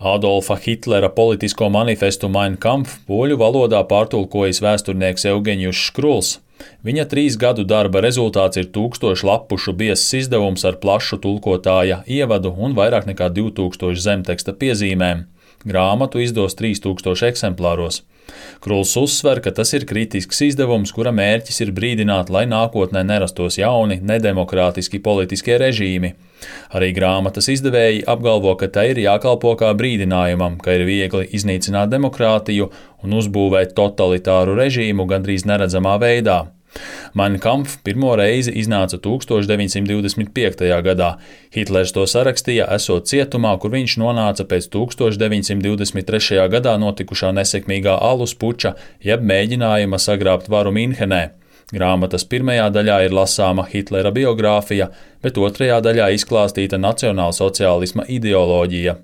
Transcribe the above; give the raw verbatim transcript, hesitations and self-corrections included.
Adolfa Hitlera politisko manifestu Mein Kampf poļu valodā pārtulkojis vēsturnieks Eugenijus Škruls. Viņa trīs gadu darba rezultāts ir tūkstošu lapušu biezs izdevums ar plašu tulkotāja ievadu un vairāk nekā divtūkstošu zemteksta piezīmēm. Grāmatu izdos trīs tūkstoši eksemplāros. Kruls uzsver, ka tas ir kritisks izdevums, kura mērķis ir brīdināt, lai nākotnē nerastos jauni, nedemokrātiski politiskie režīmi. Arī grāmatas izdevēji apgalvo, ka tai ir jākalpo kā brīdinājumam, ka ir viegli iznīcināt demokrātiju un uzbūvēt totalitāru režīmu gandrīz neredzamā veidā. Mein Kampf pirmo reizi iznāca tūkstoš deviņsimt divdesmit piektajā gadā. Hitlers to sarakstīja, esot cietumā, kur viņš nonāca pēc tūkstoš deviņsimt divdesmit trešajā gadā notikušā nesekmīgā alus puča, jeb mēģinājuma sagrābt varu Minhenē. Grāmatas pirmajā daļā ir lasāma Hitlera biogrāfija, bet otrajā daļā izklāstīta nacionālsociālisma ideoloģija.